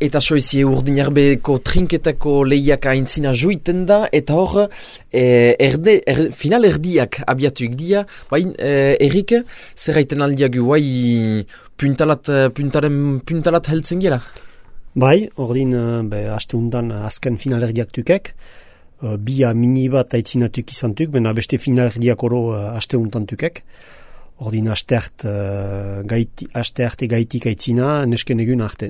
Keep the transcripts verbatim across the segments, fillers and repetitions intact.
Eta soizie Urdinarbeko trinketako lehiak aintzina juiten da, eta hor, e, erde, er, final erdiak abiatuik dia, bain, e, Erik, zer gaiten aldiagu, bai, puntalat, puntaren, puntalat heltzen gela? Bai, ordin, be, aste undan azken final erdiak tukek, bia mini bat aitzinatuk izantuk, bena beste final erdiak oro aste undan tukek. Ordin asteart, uh, gaiti, astearte gaitik aitzina, nesken egun arte.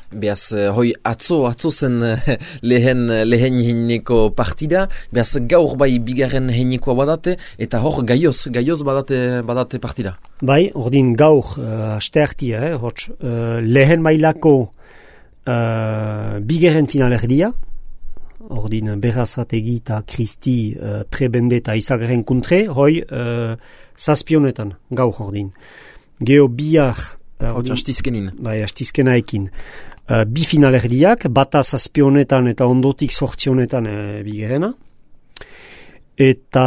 Beaz, hoi atzo, atzo zen lehen, lehen heineko partida, beaz gaur bai bigarren heinekoa badate, eta hor gaioz, gaioz badate, badate partida. Bai, ordin gaur uh, asteartia, eh, hots, uh, lehen mailako uh, bigarren final erdia, ordin Berazategi eta Kristi uh, prebende eta izagaren kuntre, hoi uh, zazpionetan, gaur ordin. Geo bihar... Uh, Hotz, astizkenin. Bai, astizkenaekin. Uh, bi final erdiak, bata zazpionetan eta ondotik sortzionetan uh, bigarrena. Eta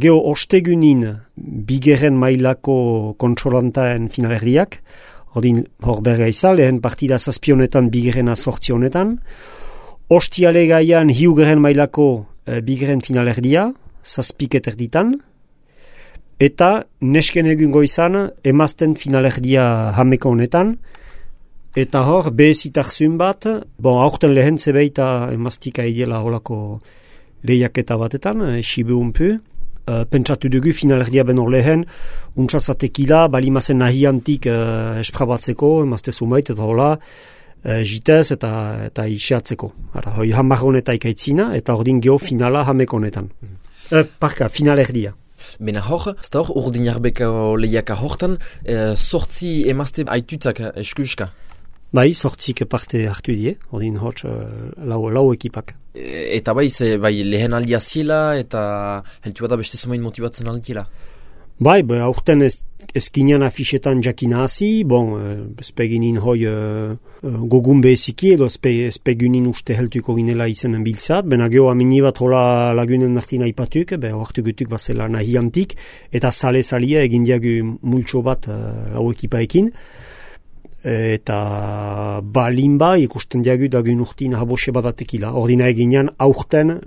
geo ostegunin bigarren mailako kontrolantaen final erdiak, ordin hor berga izan, lehen partida zazpionetan bigarrena sortzionetan. Ostiale gaian hiugarren mailako e, bigarren final erdia, zazpiket erditan, eta nesken egun goizan emazten final erdia hameko honetan, eta hor behezitarzun bat, bon, aurten lehen zebeita emaztika idela holako lehiaketa batetan, e, sibe unpu, e, pentsatu dugu final erdia benor lehen, untsazatekila, balimazen nahiantik e, esprabatzeko, emazte zumait, eta hola, Uh, jitez eta eta isiatzeko. Ara, hoi hamar honeta ikaitzina, eta ordin geho finala hameko honetan. Mm. Uh, parka, final erdia. Bena hor, ez da hor, Urdinarbeko lehiaka hortan, eh, sortzi emazte aitutzak eskuska? Bai, sortzik parte hartu die, ordin hotz uh, lau, lau ekipak. E, eta bai, ze, bai, lehen aldia ziela, eta heltu da beste zumain motibatzen aldiela? Bai, be, aurten ez, ezkinean afixetan jakina hazi, bon, ezpeginin hoi uh, gogun beheziki, edo ezpeginin uste heltuko ginela izenen biltzat, bena geho amini bat hola lagunen nartin aipatuk, be, oartu gutuk bazela nahi antik, eta sale-salia egin diagu multxo bat uh, lau ekipaekin, eta balinba ikusten diagu dagun urtin habose badatekila. Ordina eginean aurten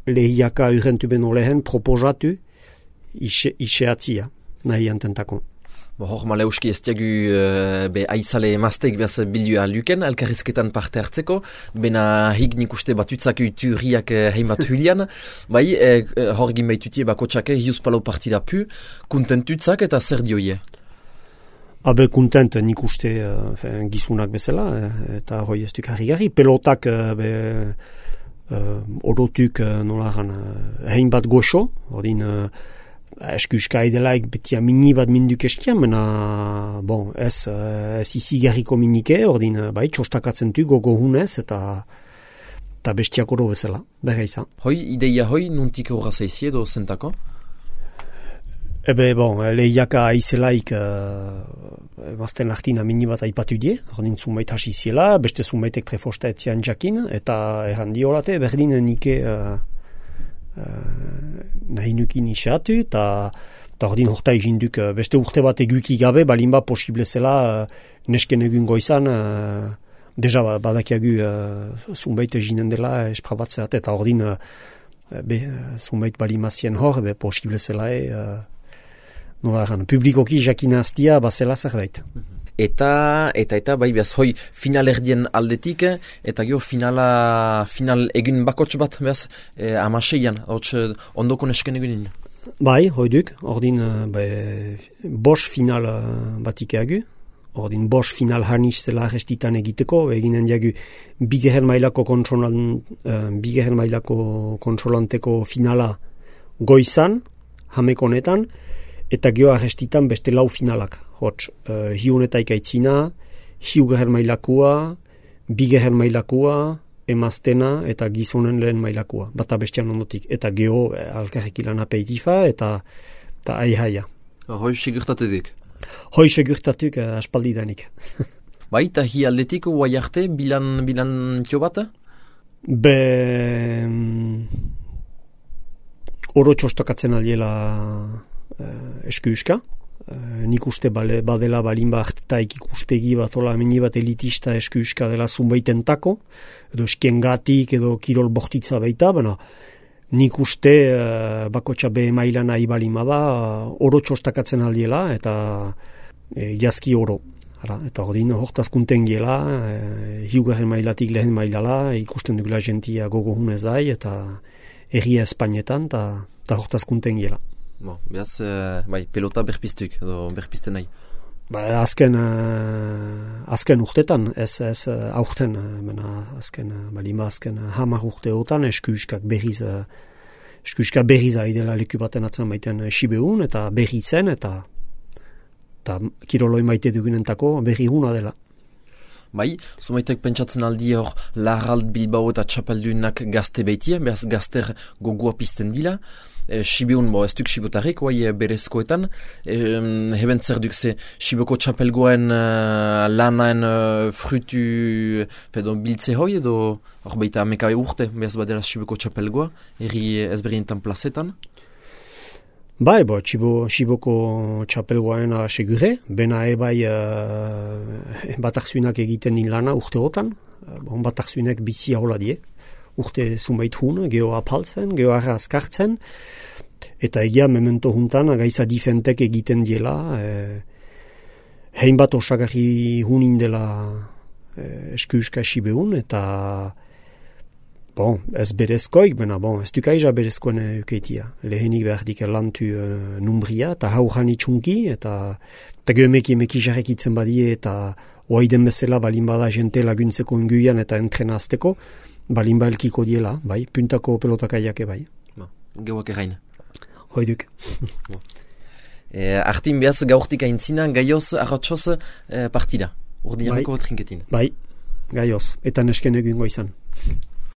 lehiaka urrentu beno lehen proposatu, Ise, iseatzia, nahi antentako. Bo, hor maleuski ez diagu uh, be aizale emazteik behaz bildua luken, elkarrizketan parte hartzeko, bena hig nik uste batutzak uturiak uh, heimat hulian, bai, eh, hor gin baitutie bako txake, hiuz palau partida pu, kontentutzak eta zer dioie? Abe kontent nik uste uh, gizunak bezala, eta hoi ez duk harri-garri, pelotak uh, be, uh, orotuk uh, nolaran uh, hein bat goxo, ordin... Uh, eskuska edelaik betia mini bat minduk eskian, mena bon, ez, ez izi garriko minike, ordin bai, txostakatzen du gogo hunez, eta, eta bestiak oro bezala, berra izan. Hoi, ideia hoi, nuntik horra zaizi edo zentako? Ebe, bon, lehiaka aizelaik uh, mazten lartina mini bat aipatu die, ordin zumait hasi ziela, beste zumaitek prefosta etzian jakin, eta errandi horate, berdin nike... Uh, Uh, nahi nukin isatu, eta ordin horta eginduk uh, beste urte bat eguki gabe, balinba posible zela uh, nesken egun goizan, uh, deja badakiagu uh, zunbait eginen dela esprabatzeat, eta ordin uh, be, zunbait balimazien hor, be posible zela e, uh, nola eran, publikoki jakina aztia, bazela zerbait. Eta, eta, eta, bai, behaz, hoi, final erdien aldetik, eta gero finala, final egin bakotx bat, behaz, eh, amaseian, hotz, ondoko nesken egunin. Bai, hoi duk, ordin, be, bos final batik egu, ordin, bos final harniz zela restitan egiteko, eginen diagu, bigeren mailako kontrolan, uh, bigeren mailako kontrolanteko finala goizan, hameko honetan, eta geho arrestitan beste lau finalak. Hots, uh, hiunetaik aitzina, hiugarren mailakoa, bigarren mailakoa, emaztena eta gizonen lehen mailakoa. Bata bestian ondotik. Eta geho eh, alkarrik ilan apeitifa eta, eta aihaia. Hoi segurtatetik? Hoi segurtatuk uh, aspaldidanik. Bai, eta hi aldetik guai arte bilan, bilan tio bat? Be... Oro txostakatzen aldiela uh, eskuuska. Uh, nik uste bale, badela balin bat taik ikuspegi bat ola meni bat elitista eskuska dela zunbaitentako, edo eskiengatik edo kirol bortitza baita, baina nik uste uh, bakotxa be maila nahi balin bada uh, oro txostakatzen aldiela eta e, jazki oro. Ara, eta ordin hortazkunten giela, e, hiugarren mailatik lehen mailala, ikusten dugula jentia gogo hunez dai, eta erria Espainetan, eta hortazkunten giela. Bo, behaz, uh, bai, pelota berpiztuk, edo berpizten nahi? Ba, azken, uh, azken urtetan, ez, ez uh, aurten, uh, azken, uh, balima azken uh, hamar urteotan, eskuskak berriz, uh, eskuskak berriz aidela leku baten atzen baiten uh, Sibeun, eta berri zen, eta eta kiroloi maite dugunentako berri guna dela. Bai, zumaitek pentsatzen aldi hor Larrald Bilbao eta Txapeldunak gazte baitia, behaz gazter gogoa pizten dila. E, Sibeun, bo, ez duk Sibotarrik, oai berezkoetan. E, heben zer duk ze Siboko Txapelgoen uh, lanaen uh, frutu fedo biltze hoi, edo hor baita ameka urte, behaz badela Siboko Txapelgoa, erri ezberientan plazetan. Bai, bo, txibo, Siboko txapelgoaren segure, bena ebai uh, batakzuinak egiten din lana urteotan, bon, batakzuinak bizia hola die, urte zumait hun, geho apaltzen, geho arra azkartzen, eta egia memento juntan gaiza difentek egiten diela, eh, hein bat osagarri hunin dela eh, eskuska Sibeun, eta bon, ez berezkoik, bena bon, ez dukaiza berezkoen eukeitia. Lehenik behar dik lantu uh, numbria, eta haujan itxunki, eta eta geomeki emeki jarrekitzen badie, eta oaiden bezala balin bada jente laguntzeko inguian eta entrenazteko, balin ba elkiko diela, bai, puntako pelotakaiake bai. Ba, geuak errain. Hoiduk. e, Artin behaz gaurtik aintzina, gaioz, arratxoz e, partida. Urdin jarriko bat rinketin. Bai, gaioz, eta nesken egungo izan.